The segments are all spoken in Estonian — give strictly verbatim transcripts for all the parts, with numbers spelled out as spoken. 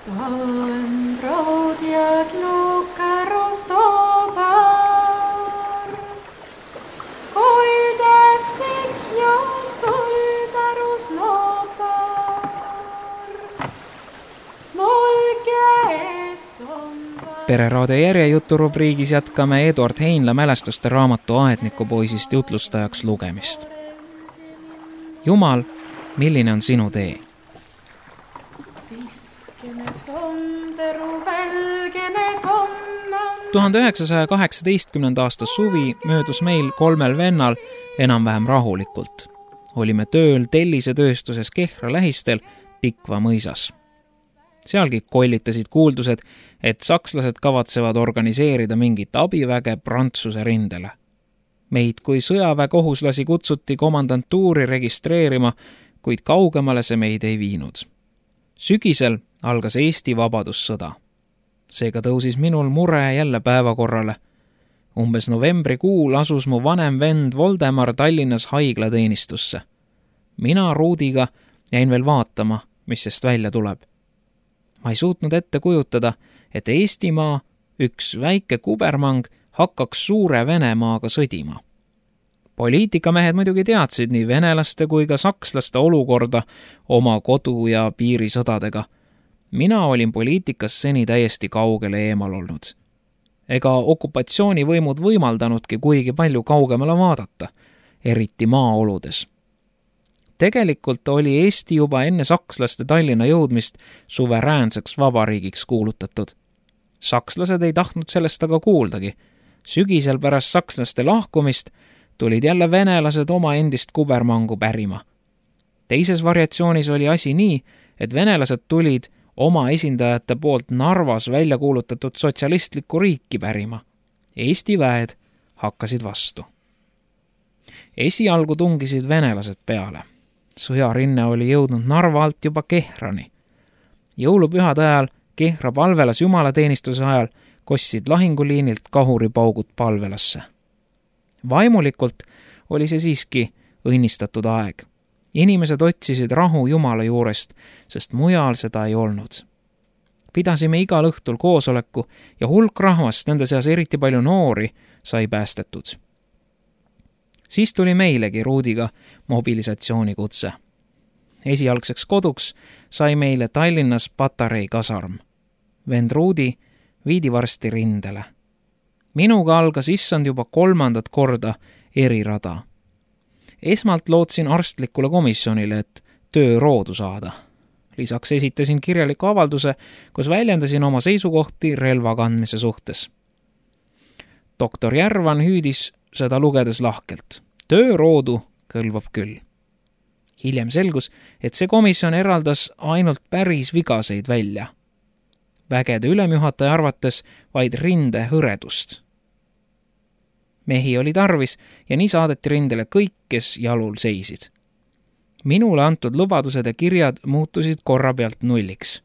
Stałem brod jak nuka roztobar, Koilde fikja skulda rusnopar, Molge esombar. Pereraadio järjejuturubriigis jätkame Eduard Heinla mälestuste raamatu Aednikupoisist jutlustajaks lugemist. Jumal, milline on sinu tee? tuhande üheksasaja kaheksateistkümnenda aasta suvi möödus meil kolmel vennal enam-vähem rahulikult. Olime tööl tellisetööstuses Kehra lähistel Pikva mõisas. Sealgi kollitasid kuuldused, et sakslased kavatsevad organiseerida mingit abiväge Prantsuse rindele. Meid kui sõjaväekohuslasi kutsuti komandantuuri registreerima, kuid kaugemale see meid ei viinud. Sügisel algas Eesti vabadussõda. Seega tõusis minul mure jälle päevakorrale. Umbes novembrikuul asus mu vanem vend Voldemar Tallinnas haiglateenistusse. Mina Ruudiga jäin veel vaatama, mis sest välja tuleb. Ma ei suutnud ette kujutada, et Eestimaa, üks väike kubermang, hakkaks suure Venemaaga sõdima. Poliitikamehed muidugi teadsid nii venelaste kui ka sakslaste olukorda oma kodu- ja piirisõdadega. Mina olin poliitikas seni täiesti kaugele eemal olnud. Ega okupatsioonivõimud võimaldanudki kuigi palju kaugemale vaadata, eriti maaoludes. Tegelikult oli Eesti juba enne sakslaste Tallinna jõudmist suveräänseks vabariigiks kuulutatud. Sakslased ei tahtnud sellest aga kuuldagi. Sügisel pärast sakslaste lahkumist tulid jälle venelased oma endist kubermangu pärima. Teises variatsioonis oli asi nii, et venelased tulid oma esindajate poolt Narvas välja kuulutatud sotsialistlikku riiki pärima. Eesti väed hakkasid vastu. Esialgu tungisid venelased peale. Sõjarinne oli jõudnud Narva alt juba Kehrani. Jõulupühade ajal Kehra palvelas jumalateenistuse ajal kostsid lahinguliinilt kahuripaugud palvelasse. Vaimulikult oli see siiski õnnistatud aeg. Inimesed otsisid rahu Jumala juurest, sest mujal seda ei olnud. Pidasime igal õhtul koosoleku ja hulk rahvast, nende seas eriti palju noori, sai päästetud. Siis tuli meilegi Ruudiga mobilisatsioonikutse. Esialgseks koduks sai meile Tallinnas Patarei kasarm. Vend Ruudi viidi varsti rindele. Minuga algas issand juba kolmandat korda erirada. Esmalt lootsin arstlikule komisjonile, et töö roodu saada. Lisaks esitasin kirjaliku avalduse, kus väljendasin oma seisukohti relva kandmise suhtes. Doktor Järvan hüüdis seda lugedes lahkelt. Töö roodu kõlbab küll. Hiljem selgus, et see komisjon eraldas ainult päris vigaseid välja. Vägede ülemjuhataja arvates vaid rinde hõredust. Mehi oli tarvis ja nii saadeti rindele kõik, kes jalul seisid. Minule antud lubadused ja kirjad muutusid korra pealt nulliks.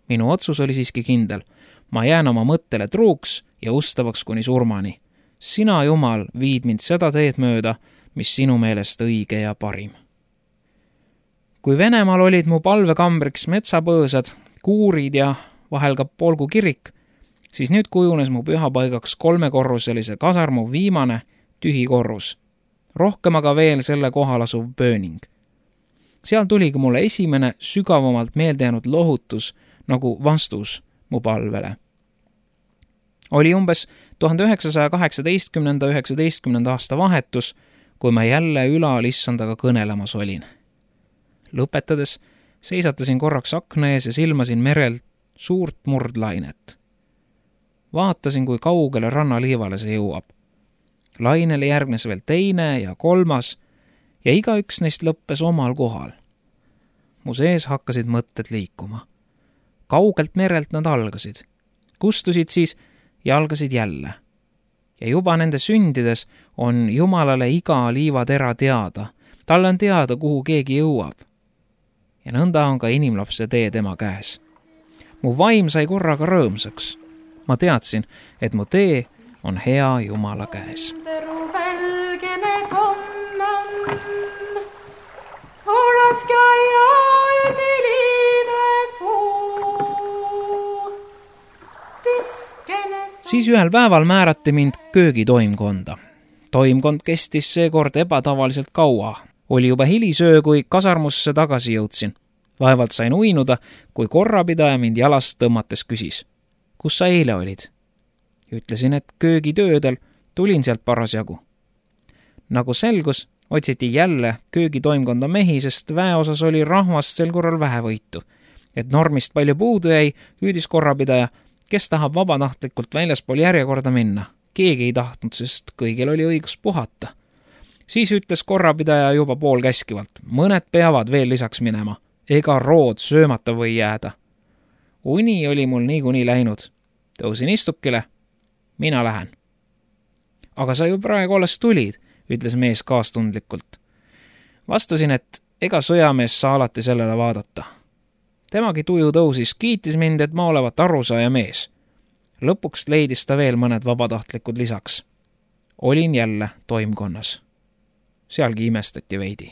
Minu otsus oli siiski kindel. Ma jään oma mõttele truuks ja ustavaks kuni surmani. Sina, Jumal, viid mind seda teed mööda, mis sinu meelest õige ja parim. Kui Venemaal olid mu palvekambriks metsapõõsad, kuurid ja vahel ka polgu kirik, siis nüüd kujunes mu pühapaigaks kolmekorruselise kasarmu viimane tühi korrus. Rohkem aga veel selle kohal asuv pööning. Seal tuligi mulle esimene sügavamalt meeldejäänud lohutus nagu vastus mu palvele. Oli umbes tuhande üheksasaja kaheksateistkümnenda üheksateistkümnenda aasta vahetus, kui ma jälle ülal issandaga kõnelemas olin. Lõpetades seisatasin korraks akna ees ja silmasin merelt suurt murdlainet. Vaatasin, kui kaugele rannaliivale see jõuab. Lainele järgnes veel teine ja kolmas ja igaüks neist lõppes omal kohal. Mu sees hakkasid mõtted liikuma. Kaugelt merelt nad algasid. Kustusid siis ja algasid jälle. Ja juba nende sündides on Jumalale iga liivatera teada. Talle on teada, kuhu keegi jõuab. Ja nõnda on ka inimlapse tee tema käes. Mu vaim sai korraga rõõmsaks. Ma teadsin, et mu tee on hea Jumala käes. Siis ühel päeval määrati mind köögitoimkonda. Toimkond kestis seekord ebatavaliselt kaua. Oli juba hilisöö, kui kasarmusse tagasi jõudsin. Vaevalt sain uinuda, kui korrapidaja mind jalast tõmmates küsis. Kus sa eile olid? Ütlesin, et köögitöödel, tulin sealt parasjagu. Nagu selgus, otsiti jälle köögitoimkonda mehi, sest väeosas oli rahvast sel korral vähevõitu. Et normist palju puudu jäi, hüüdis korrapidaja, kes tahab vabatahtlikult väljaspool järjekorda minna. Keegi ei tahtnud, sest kõigil oli õigus puhata. Siis ütles korrapidaja juba pool käskivalt, mõned peavad veel lisaks minema, ega rood söömata või jääda. Uni oli mul niikuinii läinud. Tõusin istukile, mina lähen. Aga sa ju praegu alles tulid, ütles mees kaastundlikult. Vastasin, et ega sõjamees saa alati sellele vaadata. Temagi tuju tõusis, kiitis mind, et ma olevat arusaaja mees. Lõpuks leidis ta veel mõned vabatahtlikud lisaks. Olin jälle toimkonnas. Sealgi imestati veidi.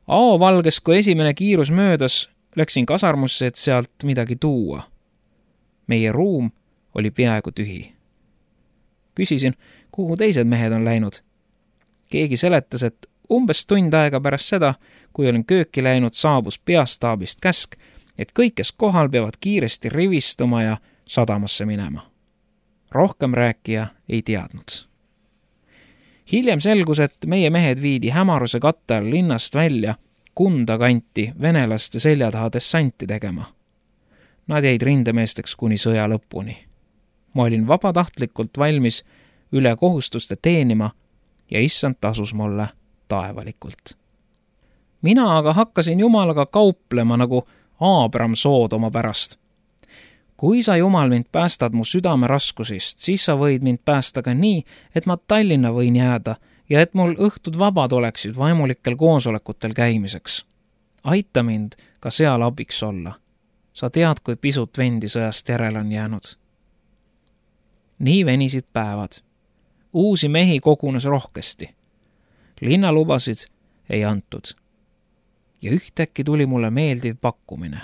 Ao valges, kui esimene kiirus möödas, läksin kasarmusse, et sealt midagi tuua. Meie ruum oli peaaegu tühi. Küsisin, kuhu teised mehed on läinud. Keegi seletas, et umbes tund aega pärast seda, kui olin kööki läinud, saabus peastaabist käsk, et kõik, kes kohal, peavad kiiresti rivistuma ja sadamasse minema. Rohkem rääkija ei teadnud. Hiljem selgus, et meie mehed viidi hämaruse katte all linnast välja Kunda kanti venelaste selja taha dessanti tegema. Nad jäid rindemeesteks kuni sõja lõpuni. Ma olin vabatahtlikult valmis üle kohustuste teenima ja issand tasus mulle taevalikult. Mina aga hakkasin Jumalaga kauplema nagu Aabram Soodoma pärast. Kui sa, Jumal, mind päästad mu südame raskusist, siis sa võid mind päästa ka nii, et ma Tallinna võin jääda ja et mul õhtud vabad oleksid vaimulikel koosolekutel käimiseks. Aita mind ka seal abiks olla. Sa tead, kui pisut vendi sõjast järele on jäänud. Nii venisid päevad. Uusi mehi kogunes rohkesti. Linnalubasid ei antud. Ja ühtäkki tuli mulle meeldiv pakkumine.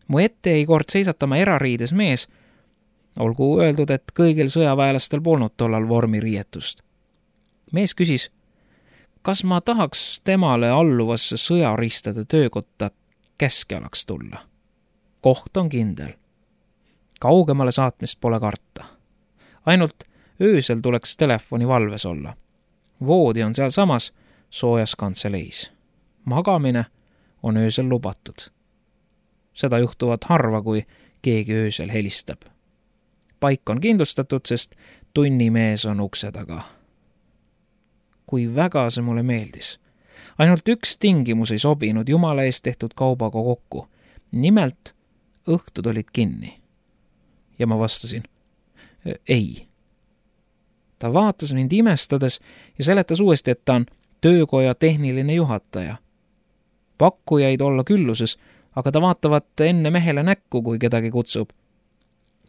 Mu ette ei kord seisatama erariides mees, olgu öeldud, et kõigil sõjaväelastel polnud tollal vormiriietust. Mees küsis, kas ma tahaks temale alluvasse sõjaristade töökotta käskjalaks tulla. Koht on kindel. Kaugemale saatmist pole karta. Ainult öösel tuleks telefoni valves olla. Voodi on seal samas soojas kantseleis. Magamine on öösel lubatud. Seda juhtuvad harva, kui keegi öösel helistab. Paik on kindlustatud, sest tunnimees on ukse taga. Kui väga see mulle meeldis. Ainult üks tingimus ei sobinud Jumala eest tehtud kaubaga kokku. Nimelt õhtud olid kinni. Ja ma vastasin, ei. Ta vaatas mind imestades ja seletas uuesti, et ta on töökoja tehniline juhataja. Pakkujaid olla külluses, aga ta vaatavat enne mehele näkku, kui kedagi kutsub.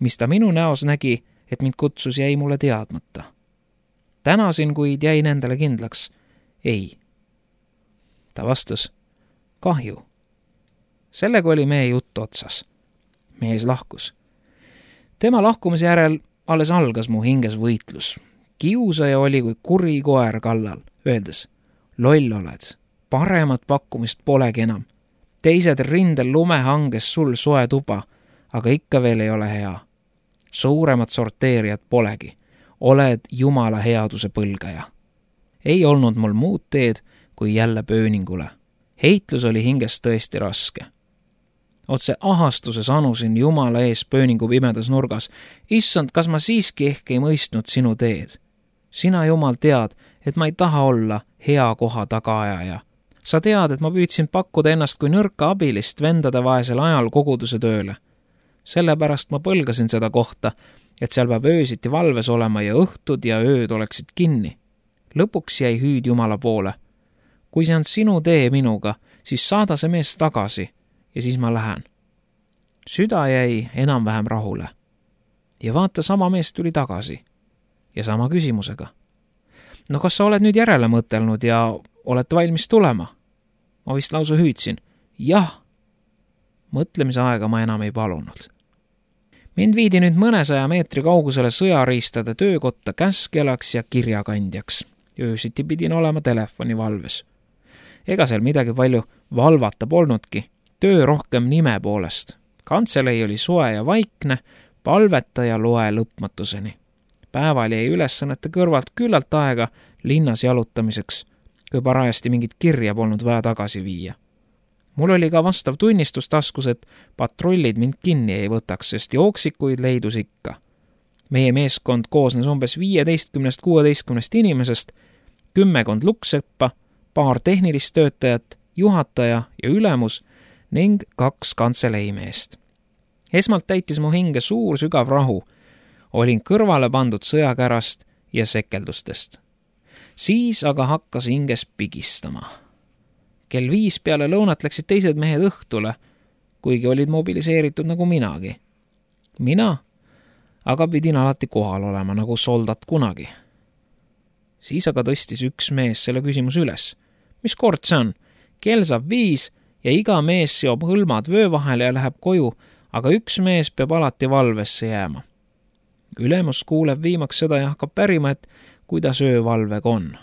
Mis ta minu näos nägi, et mind kutsus, jäi mulle teadmata. Tänasin, kuid jäin endale kindlaks. Ei. Ta vastas, kahju. Sellega oli meie jutt otsas. Mees lahkus. Tema lahkumise järel alles algas mu hinges võitlus. Kiusaja oli kui kuri koer kallal, öeldes, loll oled, paremat pakkumist polegi enam. Teised rindel lumehanges sul soe tuba, aga ikka veel ei ole hea. Suuremat sorteerijat polegi. Oled Jumala headuse põlgaja. Ei olnud mul muud teed, kui jälle pööningule. Heitlus oli hinges tõesti raske. Otse ahastuses anusin Jumala ees pööningu pimedas nurgas. Issand, kas ma siiski ehk ei mõistnud sinu teed? Sina, Jumal, tead, et ma ei taha olla hea koha tagaajaja. Sa tead, et ma püüdsin pakkuda ennast kui nõrka abilist vendade vaesel ajal koguduse tööle. Sellepärast ma põlgasin seda kohta, et seal peab öösiti valves olema ja õhtud ja ööd oleksid kinni. Lõpuks jäi hüüd Jumala poole. Kui see on sinu tee minuga, siis saada see mees tagasi ja siis ma lähen. Süda jäi enam-vähem rahule. Ja vaata, sama mees tuli tagasi. Ja sama küsimusega. No kas sa oled nüüd järele mõtelnud ja olete valmis tulema? Ma vist lausa hüüdsin. Jah. Mõtlemise aega ma enam ei palunud. Mind viidi nüüd mõnesaja meetri kaugusele sõjariistade töökotta käskjalaks ja kirjakandjaks. Öösiti pidin olema telefonivalves. Ega seal midagi palju valvata polnudki, töö rohkem nime poolest. Kantselei oli soe ja vaikne, palveta ja loe lõpmatuseni. Päeval jäi ülesannete kõrvalt küllalt aega linnas jalutamiseks, kui parajasti mingit kirja polnud vaja tagasi viia. Mul oli ka vastav tunnistus taskus, et patrullid mind kinni ei võtaks, sest jooksikuid leidus ikka. Meie meeskond koosnes umbes viieteistkümnest kuueteistkümnest inimesest, kümmekond lukseppa, paar tehnilist töötajat, juhataja ja ülemus ning kaks kantseleimeest. Esmalt täitis mu hinge suur sügav rahu. Olin kõrvale pandud sõjakärast ja sekeldustest. Siis aga hakkas hinges pigistama. Kell viis peale lõunat läksid teised mehed õhtule, kuigi olid mobiliseeritud nagu minagi. Mina aga pidin alati kohal olema nagu soldat kunagi. Siis aga tõstis üks mees selle küsimus üles. Mis kord see on? Kell saab viis ja iga mees seob hõlmad vöö vahele ja läheb koju, aga üks mees peab alati valvesse jääma. Ülemus kuuleb viimaks seda ja hakkab pärima, et kuidas öövalvega on.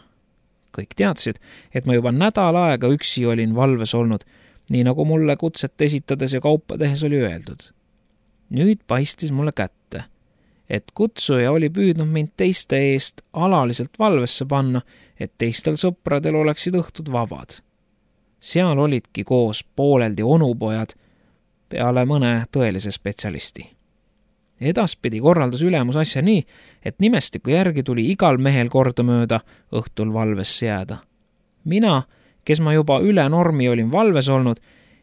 Kõik teadsid, et ma juba nädal aega üksi olin valves olnud, nii nagu mulle kutset esitades ja kaupa tehes oli öeldud. Nüüd paistis mulle kätte, et kutsuja oli püüdnud mind teiste eest alaliselt valvesse panna, et teistel sõpradel oleksid õhtud vabad. Seal olidki koos pooleldi onupojad peale mõne tõelise spetsialisti. Edaspidi korraldas ülemus asja nii, et nimestiku järgi tuli igal mehel kordamööda õhtul valvesse jääda. Mina, kes ma juba üle normi olin valves olnud,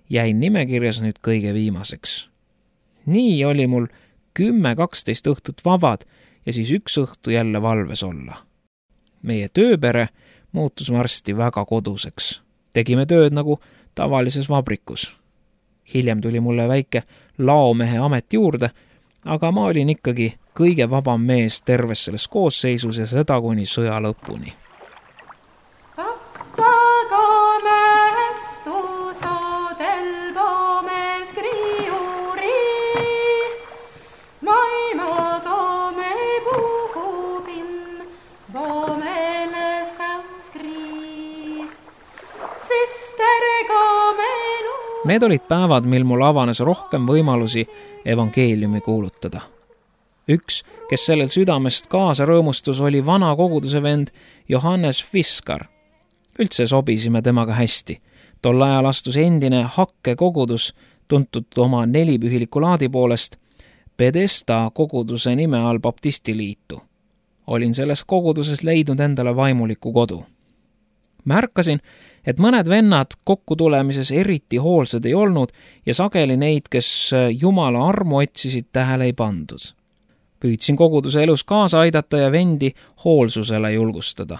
jäin nimekirjas nüüd kõige viimaseks. Nii oli mul kümme kaksteist õhtut vabad ja siis üks õhtu jälle valves olla. Meie tööpere muutus varsti väga koduseks. Tegime tööd nagu tavalises vabrikus. Hiljem tuli mulle väike laomehe amet juurde, aga ma olin ikkagi kõige vabam mees terves selles koosseisus ja seda kuni sõja lõpuni. Need olid päevad, mil mul avanes rohkem võimalusi evangeeliumi kuulutada. Üks, kes sellel südamest kaasa rõõmustus, oli vana koguduse vend Johannes Fiskar. Üldse sobisime temaga hästi. Tol ajal astus endine Hakke kogudus, tuntud oma nelipühiliku laadi poolest, Pedesta koguduse nime all baptistiliitu. Olin selles koguduses leidnud endale vaimuliku kodu. Märkasin, et mõned vennad kokkutulemises eriti hoolsad ei olnud ja sageli neid, kes Jumala armu otsisid, tähele ei pandud. Püüdsin koguduse elus kaasa aidata ja vendi hoolsusele julgustada.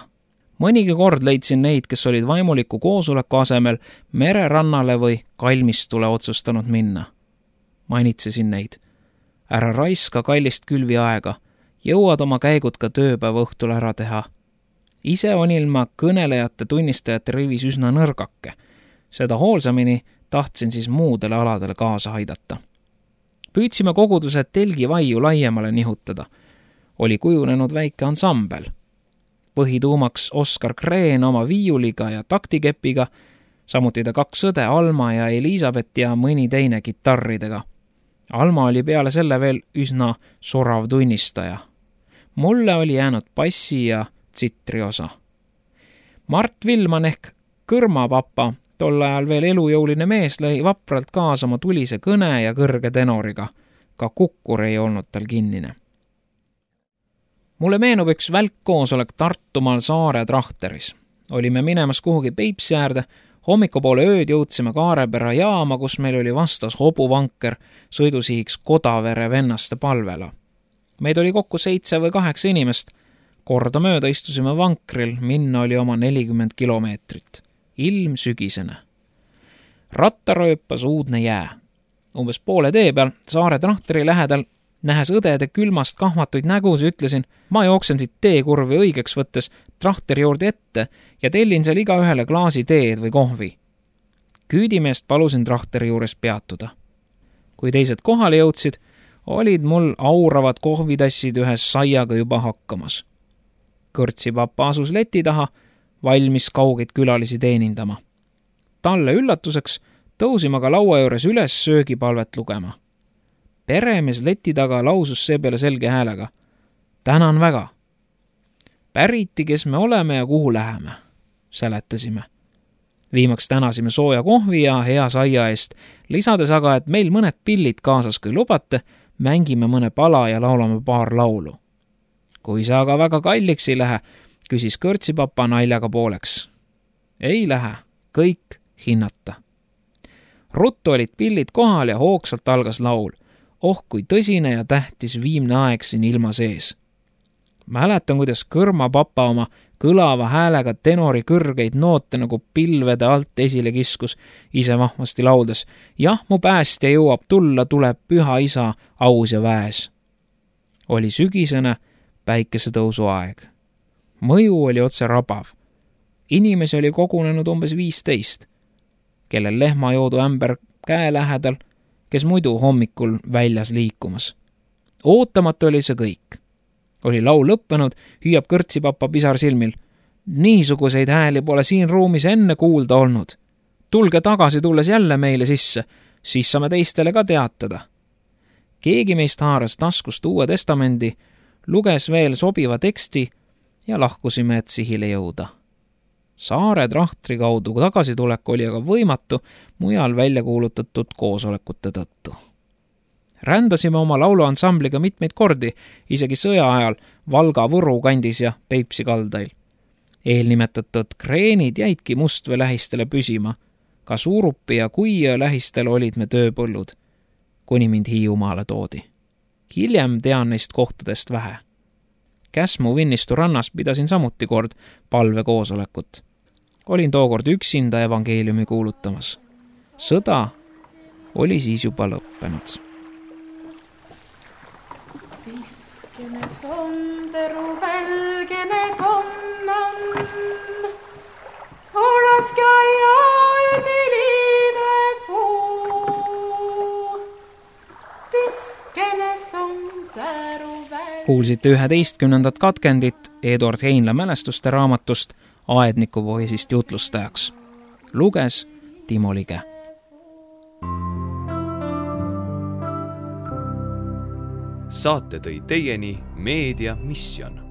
Mõnigi kord leidsin neid, kes olid vaimuliku koosoleku asemel mererannale või kalmistule otsustanud minna. Mainitsesin neid. Ära raiska kallist külvi aega, jõuad oma käigud ka tööpäeva õhtul ära teha. Ise on ilma kõnelejate tunnistajate rivis üsna nõrgake. Seda hoolsamini tahtsin siis muudele aladele kaasa aidata. Püüdsime koguduse telgivaiu laiemale nihutada. Oli kujunenud väike ansambel. Põhituumaks Oskar Kreen oma viiuliga ja taktikepiga, samuti ta kaks õde Alma ja Elisabeth ja mõni teine kitarridega. Alma oli peale selle veel üsna sorav tunnistaja. Mulle oli jäänud bassi ja tsitriosa. Mart Vilman ehk Kõrmapapa, tol ajal veel elujõuline mees, lõi vapralt kaasa oma tulise kõne ja kõrge tenoriga. Ka kukkur ei olnud tal kinnine. Mulle meenub üks välkkoosolek Tartumaal Saare Trahteris. Olime minemas kuhugi Peipsi äärde, hommikupoole ööd jõudsime Kaarepera jaama, kus meil oli vastas hobuvanker sõidusihiks Kodavere vennaste palvela. Meid oli kokku seitse või kaheksa inimest. Korda mööda istusime vankril, minna oli oma nelikümmend kilomeetrit. Ilm sügisene. Ratta rööpas uudne jää. Umbes poole tee peal Saare Trahteri lähedal, nähes õdede külmast kahvatuid nägus, ütlesin, ma jooksen siit teekurvi õigeks võttes Trahteri juurde ette ja tellin seal iga ühele klaasi teed või kohvi. Küüdimeest palusin Trahteri juures peatuda. Kui teised kohale jõudsid, olid mul auravad kohvitassid ühes saiaga juba hakkamas. Kõrtsipapa asus leti taha, valmis kaugeid külalisi teenindama. Talle üllatuseks tõusime ka laua juures üles söögipalvet lugema. Peremees leti taga lausus seepeale selge häälega. Tänan väga. Päriti, kes me oleme ja kuhu läheme, seletasime. Viimaks tänasime sooja kohvi ja hea saia eest, lisades aga, et meil mõned pillid kaasas kui lubate, mängime mõne pala ja laulame paar laulu. Kui see aga väga kalliks ei lähe, küsis kõrtsipapa naljaga pooleks. Ei lähe, kõik hinnata. Ruttu olid pillid kohal ja hoogsalt algas laul. Oh, kui tõsine ja tähtis viimne aeg siin ilma sees. Mäletan, kuidas kõrmapapa oma kõlava häälega tenori kõrgeid noote nagu pilvede alt esile kiskus, ise vahvasti lauldes. Jah, mu päästja jõuab tulla, tuleb püha isa aus ja väes. Oli sügisene päikesetõusu aeg. Mõju oli otse rabav. Inimesi oli kogunenud umbes viisteist, kellel lehmajoodu ämber käe lähedal, kes muidu hommikul väljas liikumas. Ootamatu oli see kõik. Oli laul lõppenud, hüüab kõrtsipapa pisar silmil. Niisuguseid hääli pole siin ruumis enne kuulda olnud. Tulge tagasi tulles jälle meile sisse, siis saame teistele ka teatada. Keegi meist haaras taskust Uue Testamendi, luges veel sobiva teksti ja lahkusime, et sihile jõuda. Saare trahtri kaudu tagasitulek oli aga võimatu mujal välja kuulutatud koosolekute tõttu. Rändasime oma lauluansambliga mitmeid kordi, isegi sõja ajal Valga Võru kandis ja Peipsi kaldail. Eelnimetatud kreenid jäidki Mustvee lähistele püsima. Ka Suurupi ja Kuiö lähistel olid me tööpõllud, kuni mind Hiiumaale toodi. Hiljem tean neist kohtadest vähe. Käsmu Vinnistu rannas pidasin samuti kord palvekoosolekut. Olin tookord üksinda evangeeliumi kuulutamas. Sõda oli siis juba lõppenud. Tiskene sonderu välgene tonnan, olaska ja üdiline fuu. Tiskene sonderu välgene... Kuulsite üheteistkümnendat katkendit Eduard Heinla mälestuste raamatust Aedniku poisist jutlustajaks. Luges Timo Lige. Saate tõi teieni Meedia Mission.